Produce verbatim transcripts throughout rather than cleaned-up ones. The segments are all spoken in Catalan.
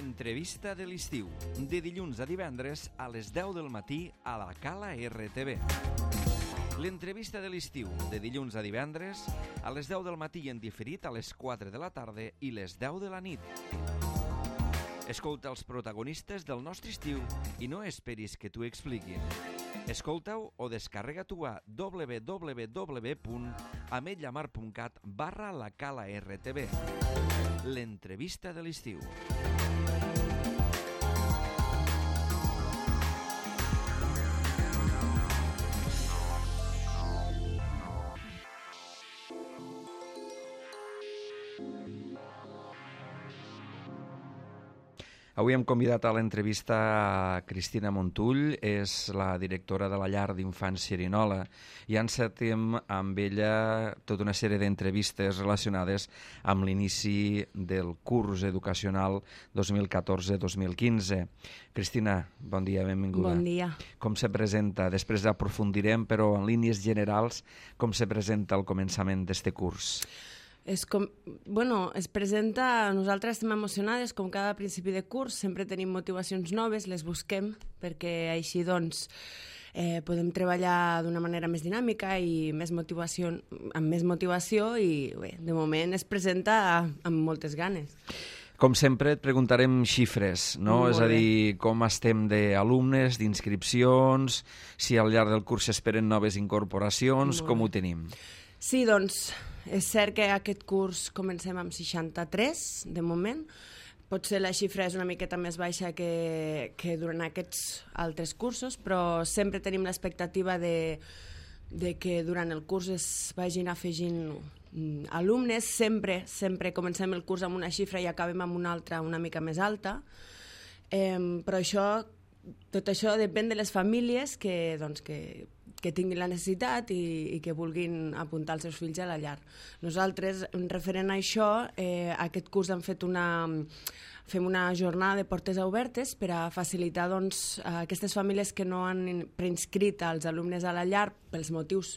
L'entrevista de l'estiu, de dilluns a divendres a les deu del matí a la Cala R T V. L'entrevista de l'estiu, de dilluns a divendres a les deu del matí i en diferit a les quatre de la tarda i les deu de la nit. Escolta els protagonistes del nostre estiu i no esperis que t'ho expliquin. Escolta-ho o descarrega-t'ho a w w w punt ametlla mar punt cat barra la Cala R T V. L'entrevista de l'estiu. Avui hem convidat a l'entrevista a Cristina Montull, és la directora de la llar d'infants Xerinola, i encetem amb ella tota una sèrie d'entrevistes relacionades amb l'inici del curs educacional dos mil catorze dos mil quinze. Cristina, bon dia, benvinguda. Bon dia. Com se presenta? Després aprofundirem, però en línies generals, com se presenta el començament d'este curs? És com, bueno, es presenta, nosaltres estem emocionades, com cada principi de curs, sempre tenim motivacions noves, les busquem, perquè així doncs eh, podem treballar d'una manera més dinàmica i més motivació, amb més motivació i bé, de moment es presenta amb moltes ganes. Com sempre et preguntarem xifres, no? Molt És a bé. dir, com estem d'alumnes, d'inscripcions, si al llarg del curs s'esperen noves incorporacions, Molt com bé. ho tenim? Sí, doncs, és cert que aquest curs comencem amb seixanta-tres, de moment. Potser la xifra és una miqueta més baixa que, que durant aquests altres cursos, però sempre tenim l'expectativa de, de que durant el curs es vagin afegint mm, alumnes. Sempre, sempre comencem el curs amb una xifra i acabem amb una altra una mica més alta. Eh, però això, tot això depèn de les famílies que, doncs, que que tinguin la necessitat i, i que vulguin apuntar els seus fills a la llar. Nosaltres, referent a això, eh, aquest curs hem fet una, fem una jornada de portes obertes per a facilitar doncs, a aquestes famílies que no han preinscrit els alumnes a la llar pels motius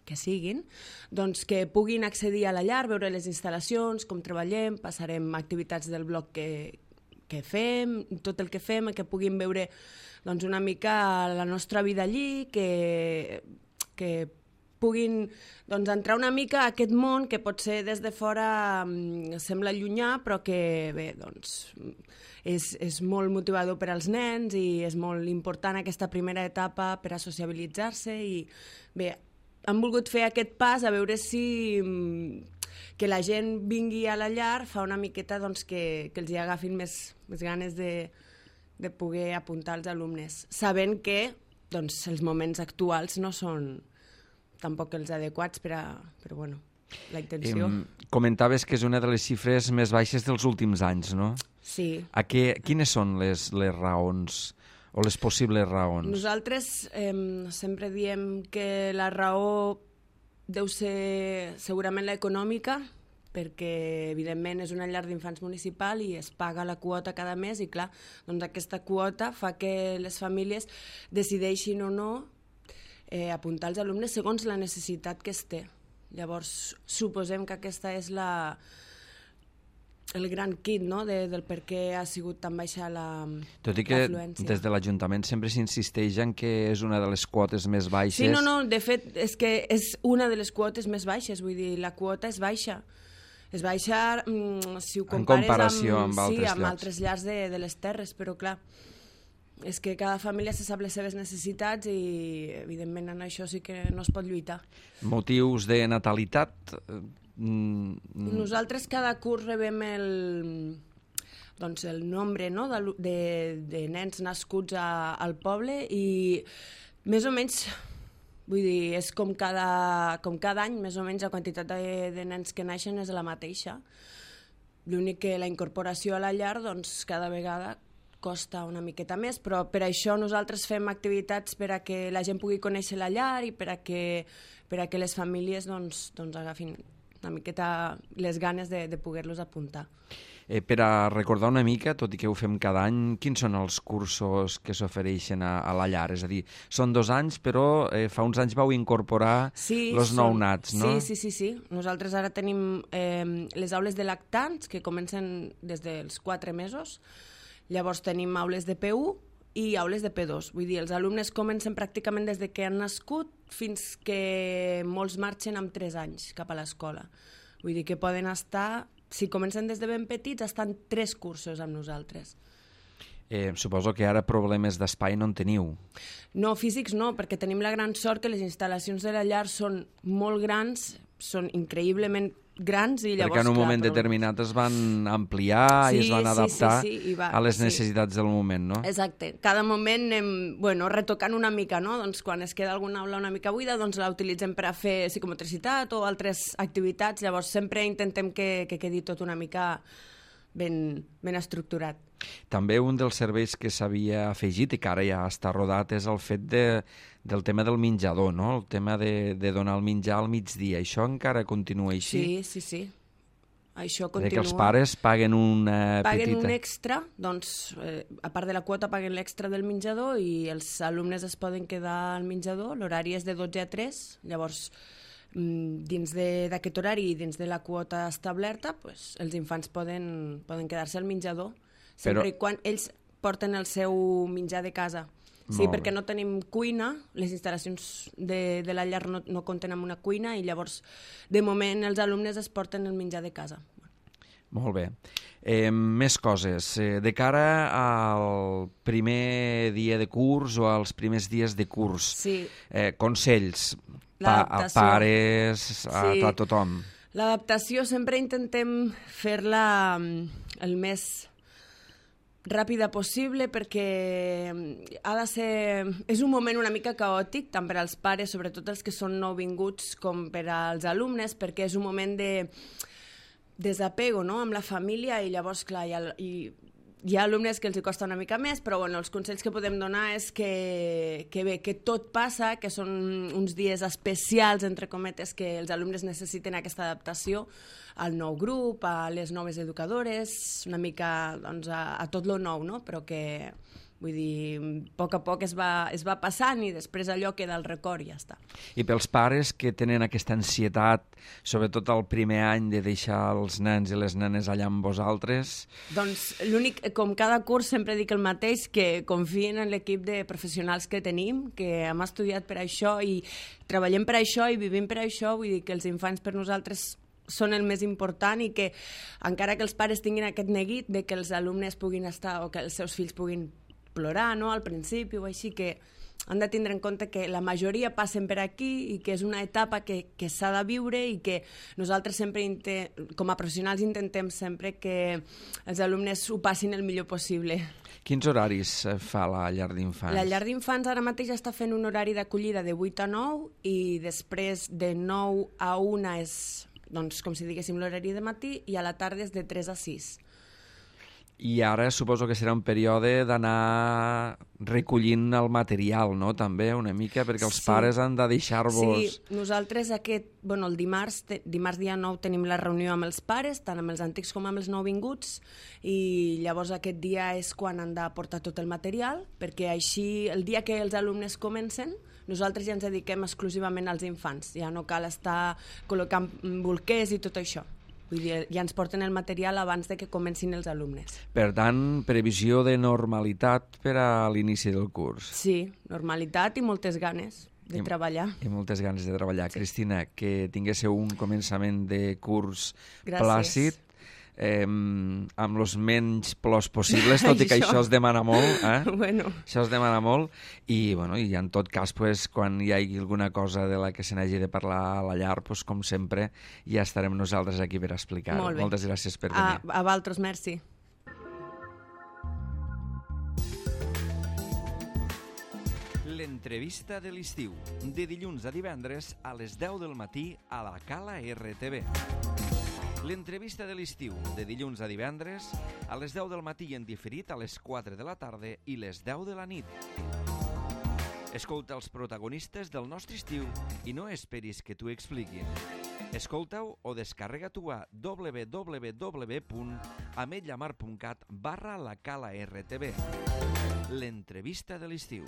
que siguin, doncs que puguin accedir a la llar, veure les instal·lacions, com treballem, passarem activitats del bloc que, que fem, tot el que fem, que puguin veure doncs, una mica la nostra vida allí, que, que puguin doncs, entrar una mica a aquest món que potser des de fora um, sembla llunyà, però que bé, doncs, és, és molt motivador per als nens i és molt important aquesta primera etapa per a sociabilitzar-se i bé, han volgut fer aquest pas a veure si um, que la gent vingui a la llar fa una miqueta doncs, que, que els hi agafin més, més ganes de de poder apuntar els alumnes, sabent que doncs, els moments actuals no són tampoc els adequats, per a, però bueno, la intenció... Em, comentaves que és una de les xifres més baixes dels últims anys, no? Sí. A què, quines són les, les raons o les possibles raons? Nosaltres eh, sempre diem que la raó deu ser segurament l'econòmica, perquè evidentment és una llar d'infants municipal i es paga la quota cada mes i clar, doncs aquesta quota fa que les famílies decideixin o no eh, apuntar els alumnes segons la necessitat que es té. Llavors suposem que aquesta és la, el gran kit, no?, de, del per què ha sigut tan baixa la Tot i que l'afluència. des de l'Ajuntament sempre s'insisteix en que és una de les quotes més baixes. Sí, no, no, de fet és que és una de les quotes més baixes, vull dir, la quota és baixa. És baixa mm, si ho compares en comparació amb, amb, amb altres sí, amb llars. altres llars de, de les terres, però clar, és que cada família se sap les seves necessitats i evidentment en això sí que no es pot lluitar. Motius de natalitat? Mm, Nosaltres cada curs rebem el, doncs el nombre, no?, de, de, de nens nascuts a, al poble i més o menys... Vull dir, és com cada, com cada any, més o menys, la quantitat de, de nens que naixen és la mateixa. L'únic que la incorporació a la llar, doncs, cada vegada costa una miqueta més, però per això nosaltres fem activitats per a que la gent pugui conèixer la llar i per a que, per a que les famílies doncs, doncs agafin una miqueta les ganes de, de poder-los apuntar. Eh, per a recordar una mica, tot i que ho fem cada any, quins són els cursos que s'ofereixen a, a la llar? És a dir, són dos anys, però eh, fa uns anys vau incorporar sí, els són... nounats, no? Sí, sí, sí, sí. Nosaltres ara tenim eh, les aules de lactants, que comencen des dels quatre mesos. Llavors tenim aules de P u i aules de P dos. Vull dir, els alumnes comencen pràcticament des de que han nascut fins que molts marxen amb tres anys cap a l'escola. Vull dir que poden estar... Si comencen des de ben petits, estan tres cursos amb nosaltres. Eh, suposo que ara problemes d'espai no en teniu. No, físics no, perquè tenim la gran sort que les instal·lacions de la llar són molt grans, són increïblement grans i llavors... Perquè en un clar, moment però... determinat es van ampliar sí, i es van adaptar sí, sí, sí, va, a les sí. necessitats del moment, no? Exacte. Cada moment anem bueno, retocant una mica, no? Doncs quan es queda alguna aula una mica buida, doncs la utilitzem per a fer psicomotricitat o altres activitats, llavors sempre intentem que, que quedi tot una mica ben, ben estructurat. També un dels serveis que s'havia afegit i que ara ja està rodat és el fet de, del tema del menjador, no? El tema de, de donar el menjar al migdia. Això encara continua així? Sí, sí, sí. Això continua. Que els pares paguen una paguen petita... un extra, doncs, eh, a part de la quota paguen l'extra del menjador i els alumnes es poden quedar al menjador. L'horari és de dotze a tres, llavors dins d'aquest horari i dins de la quota establerta, pues, els infants poden, poden quedar-se al menjador, sempre Però... i quan ells porten el seu menjar de casa. Sí, Molt perquè bé. no tenim cuina, les instal·lacions de, de la llar no, no compten amb una cuina i llavors, de moment, els alumnes es porten el menjar de casa. Molt bé. Eh, més coses. Eh, de cara al primer dia de curs o als primers dies de curs, sí. eh, consells pa a pares, a, sí. a tothom. L'adaptació sempre intentem fer-la el més ràpida possible perquè ha de ser... És un moment una mica caòtic, tant per als pares, sobretot els que són nouvinguts, com per als alumnes, perquè és un moment de desapego, no?, amb la família i llavors, clar, hi ha, hi, hi ha alumnes que els hi costa una mica més, però bueno, els consells que podem donar és que, que bé, que tot passa, que són uns dies especials, entre cometes, que els alumnes necessiten aquesta adaptació al nou grup, a les noves educadores, una mica doncs, a, a tot lo nou, no? Però que, vull dir, a poc a poc es va, es va passant i després allò queda al record i ja està. I pels pares que tenen aquesta ansietat, sobretot el primer any de deixar els nens i les nenes allà amb vosaltres... Doncs l'únic, com cada curs sempre dic el mateix, que confien en l'equip de professionals que tenim, que hem estudiat per això i treballem per això i vivim per això, vull dir que els infants per nosaltres són el més important i que encara que els pares tinguin aquest neguit de que els alumnes puguin estar o que els seus fills puguin plorar, no?, al principi o així, que han de tindre en compte que la majoria passen per aquí i que és una etapa que, que s'ha de viure i que nosaltres sempre, com a professionals, intentem sempre que els alumnes ho passin el millor possible. Quins horaris fa la llar d'infants? La llar d'infants ara mateix està fent un horari d'acollida de vuit a nou i després de nou a una és, doncs, com si diguéssim, l'horari de matí i a la tarda és de tres a sis. I ara suposo que serà un període d'anar recollint el material, no?, també, una mica, perquè els sí. pares han de deixar-vos... Sí, nosaltres aquest, bueno, el dimarts, te, dimarts dia nou tenim la reunió amb els pares, tant amb els antics com amb els nouvinguts, i llavors aquest dia és quan han de portar tot el material, perquè així, el dia que els alumnes comencen, nosaltres ja ens dediquem exclusivament als infants, ja no cal estar col·locant bolquers i tot això. Vull dir, ja ens porten el material abans de que comencin els alumnes. Per tant, previsió de normalitat per a l'inici del curs. Sí, normalitat i moltes ganes de I, treballar. I moltes ganes de treballar. Sí. Cristina, que tinguéssiu un començament de curs Gràcies. plàcid, eh, amb els menys plors possibles, tot i que això, això es demana molt. Eh? Bueno. Això es demana molt. I, bueno, i en tot cas, pues, quan hi hagi alguna cosa de la que se n'hagi de parlar a la llar, pues, com sempre, ja estarem nosaltres aquí per explicar-ho. Molt bé. Moltes gràcies per venir. A, a vosaltres, merci. L'entrevista de l'estiu, de dilluns a divendres a les deu del matí a la Cala R T V. L'entrevista de l'estiu, de dilluns a divendres, a les deu del matí en diferit a les quatre de la tarda i les deu de la nit. Escolta els protagonistes del nostre estiu i no esperis que t'ho expliquin. Escolta-ho o descarrega-t'ho a w w w punt ametlllamar punt cat barra la cala R T B. L'entrevista de l'estiu.